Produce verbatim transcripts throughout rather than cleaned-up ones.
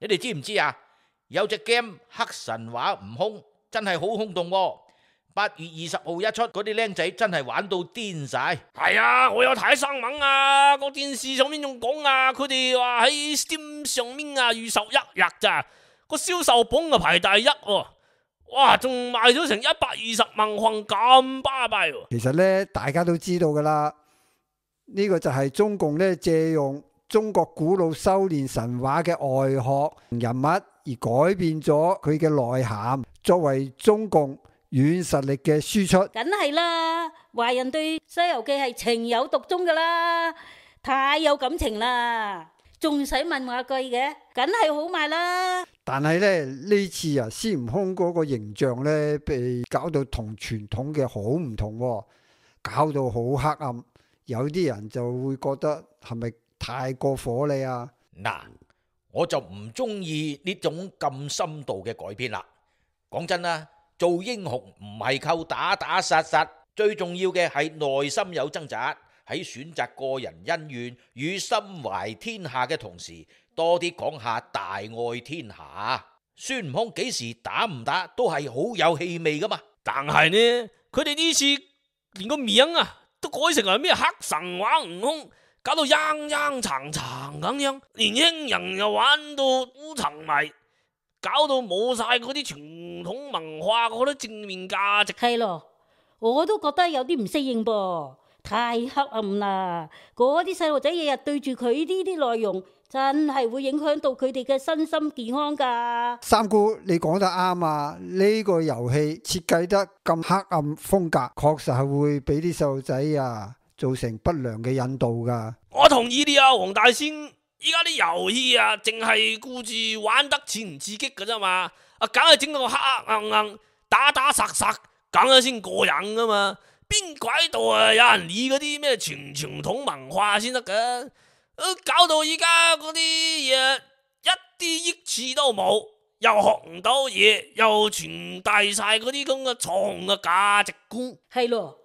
你哋知唔知啊？有隻 game 黑神話悟空真係好轟動喎！八月二十號一出，嗰啲僆仔真係玩到癲晒。係啊，我有睇新聞啊，個電視上面仲講啊，佢哋話喺 Steam 上面啊預售一日咋，個銷售榜啊排第一喎，哇，仲賣咗成一百二十萬份咁巴閉喎。其實呢，大家都知道噶啦，呢個就係中共呢借用中國古老修煉神話嘅外殼人物而改變咗佢嘅內涵，作為中共軟實力嘅輸出。梗係啦，華人對《西遊記》係情有獨鍾噶啦，太有感情啦，仲使問話句嘅，梗係好賣啦。但係咧呢次啊，孫悟空嗰個形象呢，被搞到同傳統嘅好唔同，搞到好黑暗，有啲人就會覺得係咪太過火你啊？嗱，我就唔中意呢種咁深度嘅改編啦。講真啦，做英雄唔係靠打打殺殺，最重要嘅係內心有掙扎，喺選擇個人恩怨與心懷天下嘅同時，多啲講下大愛天下。孫悟空幾時打唔打都係好有氣味噶嘛。但係呢，佢哋呢次連個名啊都改成係咩黑神話悟空，搞到陰陰沉沉咁樣，年輕人又玩到好沉迷，搞到冇晒嗰啲傳統文化嗰啲正面價值。係咯，我都覺得有啲唔適應噃，太黑暗啦！嗰啲細路仔日日對住佢呢啲內容，真係會影響到佢哋嘅身心健康噶。三姑，你講得啱啊！呢個遊戲設計得咁黑暗風格，確實係會俾啲細路仔啊造成不良嘅引導噶。我同意你啊，黃大仙，依家啲遊戲啊，淨係顧住玩得刺唔刺激噶啫嘛，啊，梗係整到黑黑暗暗、打打殺殺，梗係先過癮噶嘛。邊鬼度啊有人理嗰啲咩傳傳統文化先得噶？搞到而家嗰啲嘢一啲益處都冇，又學唔到嘢，又傳遞晒嗰啲咁嘅錯嘅價值觀。係咯，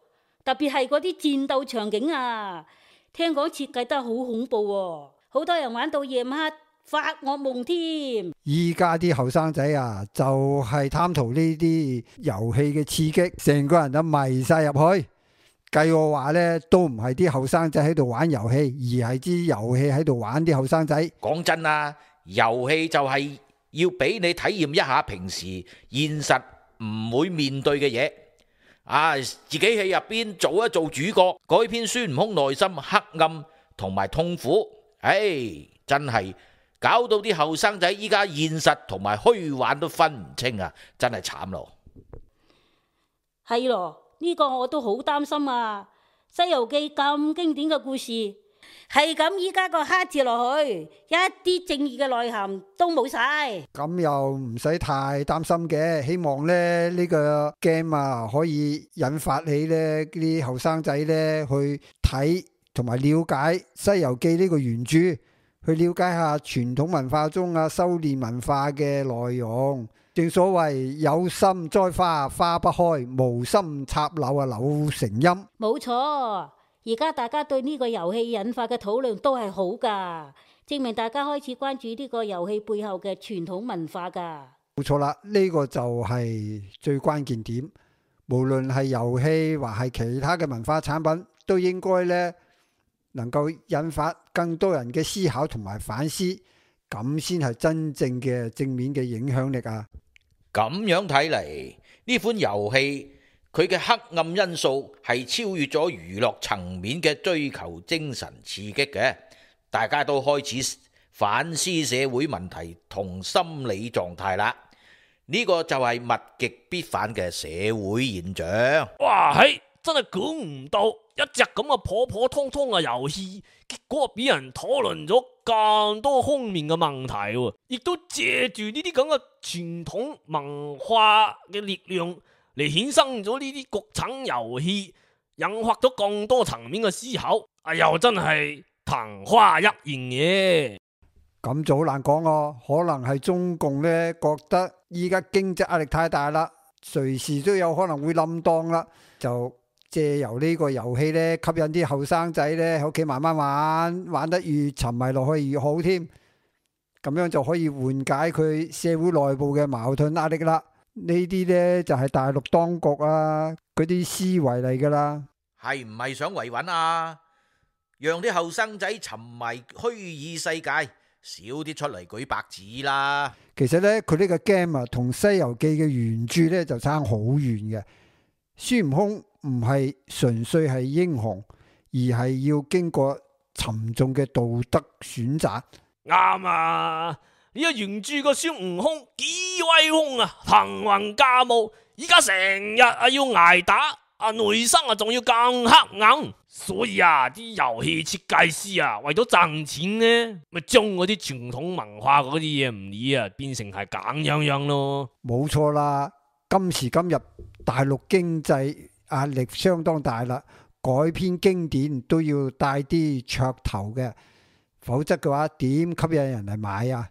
特別係嗰啲戰鬥場景啊，聽講設計得好恐怖喎，好多人玩到夜晚黑發惡夢添。依家啲後生仔啊，就係貪圖呢啲遊戲嘅刺激，成個人都迷晒入去。計我話呢，都唔係啲後生仔喺度玩遊戲，而係啲遊戲喺度玩啲後生仔。講真啊，遊戲就係要俾你體驗一下平時現實唔會面對嘅嘢。啊，自己喺入邊做一做主角，改編孫悟空內心黑暗同埋痛苦。唉，真係搞到啲後生仔依家現實同埋虛幻都分唔清啊！真係慘咯。係咯。呢個我都好擔心啊！《西遊記》咁經典嘅故事，係咁依家個黑字落去，一啲正義嘅內涵都冇晒。咁又唔使太擔心嘅，希望咧呢個 game 啊可以引發起呢啲後生仔呢去睇同埋了解《西遊記》呢個原著，去了解下傳統文化中啊修煉文化嘅內容。正所謂有心栽花花不開，無心插柳啊柳成蔭。冇錯，而家大家對呢個遊戲引發嘅討論都係好噶，證明大家開始關注呢個遊戲背後嘅傳統文化噶。冇錯啦，呢個就係最關鍵點。無論係遊戲或係其他嘅文化產品，都應該呢能夠引發更多人嘅思考同埋反思，咁先係真正嘅正面嘅影響力啊！咁樣睇嚟，呢款遊戲佢嘅黑暗因素係超越咗娛樂層面嘅追求精神刺激嘅，大家都開始反思社會問題同心理狀態啦。呢個就係物極必反嘅社會現象。哇，係真係估唔到一隻咁嘅普普通通嘅遊戲，結果俾人討論咗咁多方面嘅問題，亦都借住呢啲咁嘅傳統文化嘅力量嚟衍生咗呢啲國產遊戲，引發咗更多層面嘅思考。啊，又真係曇花一現嘅。咁就好難講咯，可能係中共呢覺得依家經濟壓力太大啦，隨時都有可能會冧檔啦，就借由呢個遊戲呢吸引啲後生仔呢喺屋企慢慢玩，玩得越沉迷落去越好添。咁樣就可以緩解佢社會內部嘅矛盾壓力啦。呢啲呢，就係大陸當局啊嗰啲思維嚟噶啦。係唔係想維穩啊？讓啲後生仔沉迷虛擬世界，少啲出嚟舉白紙啦。其實呢，佢呢個 game 啊，同《西遊記》嘅原著呢就差好遠嘅。孫悟空唔係純粹係英雄，而係要經過沉重嘅道德選擇。啱啊！呢個原著個孫悟空幾威風啊，騰雲駕霧，依家成日啊要挨打，啊內心啊仲要更黑暗。所以啊，啲遊戲設計師啊，為咗賺錢呢，咪將嗰啲傳統文化嗰啲嘢唔理啊，變成係咁樣樣咯。冇錯啦，今時今日大陸經濟壓力相當大啦，改編經典都要帶啲噱頭嘅，否則嘅話點吸引人嚟買啊？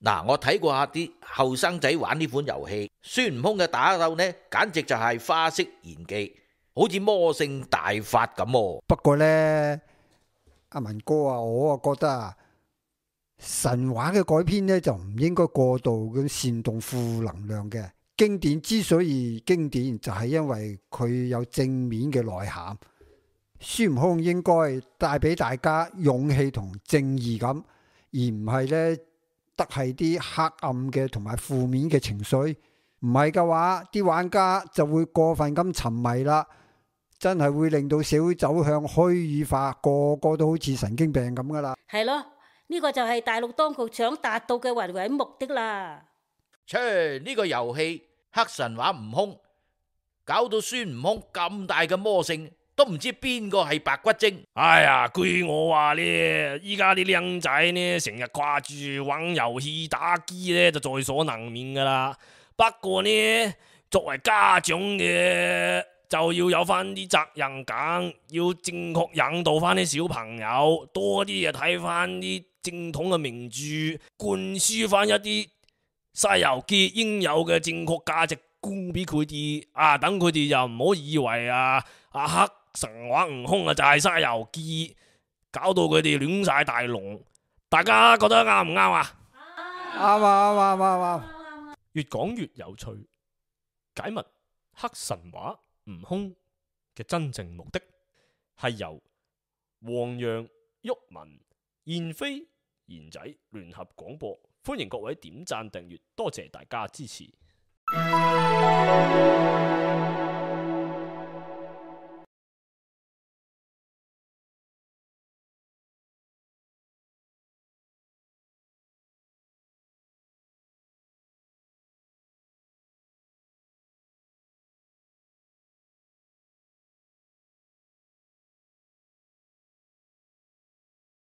嗱，我睇過下啲後生仔玩呢款遊戲，孫悟空嘅打鬥呢，簡直就係花式演技，好似魔性大發咁。不過呢，阿文哥啊，我啊覺得啊，神話嘅改編呢，就唔應該過度咁煽動負能量嘅。經典之所以經典，就係因為佢有正面嘅內涵。孫悟空應該帶俾大家勇氣同正義感，而唔係呢，得係啲黑暗嘅同埋負面嘅情緒。唔係嘅話，啲玩家就會過分咁沉迷啦，真係會令到社會走向虛擬化，個個都好似神經病咁噶啦。係咯，呢個就係大陸當局想達到嘅維穩目的啦。切，呢個遊戲黑神話悟空，搞到孫悟空咁大嘅魔性，都唔知邊個係白骨精。哎呀，據我話呢，依家啲靚仔呢，成日掛住玩遊戲打機呢，就在所難免噶啦。不過呢，作為家長嘅就要有翻啲責任感，要正確引導翻啲小朋友，多啲啊睇翻啲正統嘅名著，灌輸翻一啲《西遊記》應有嘅正確價值觀俾佢哋啊，等佢哋又唔好以為啊啊黑神話悟空啊就係《西遊記》，搞到佢哋亂晒大龍。大家覺得啱唔啱啊？啱啊啱啊啱啊啱！越講越有趣，解密黑神話悟空嘅真正目的係由黃洋、毓民、燕飛、賢仔聯合廣播，歡迎各位點讚訂閱，多謝大家支持。